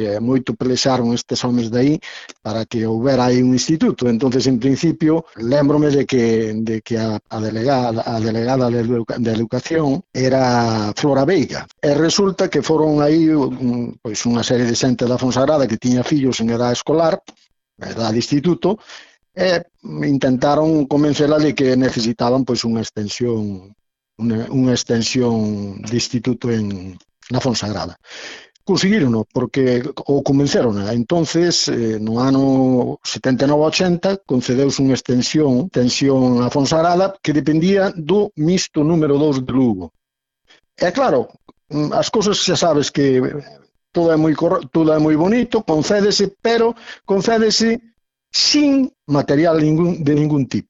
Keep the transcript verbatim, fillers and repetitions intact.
e moito pelexaron estes homes de aí para que houbera aí un instituto. Entonces, en principio, lembrome de que, de que a, a delegada, a delegada de, educa, de educación era Flora Veiga, e resulta que foron aí un, pois unha serie de xente da Fonsagrada que tiña fillos en edad escolar, edad de instituto, e intentaron convencela de que necesitaban pois unha extensión unha, unha extensión de instituto en na Fonsagrada. Conseguírono, porque o convenceron. Entonces, eh, no ano setenta e nove ochenta, concedeuse unha extensión, extensión a Fonsagrada que dependía do mixto número dous de Lugo. E claro, as cousas xa sabes que todo é moi, todo é moi bonito, concédese, pero concédese sin material ningún, de ningún tipo.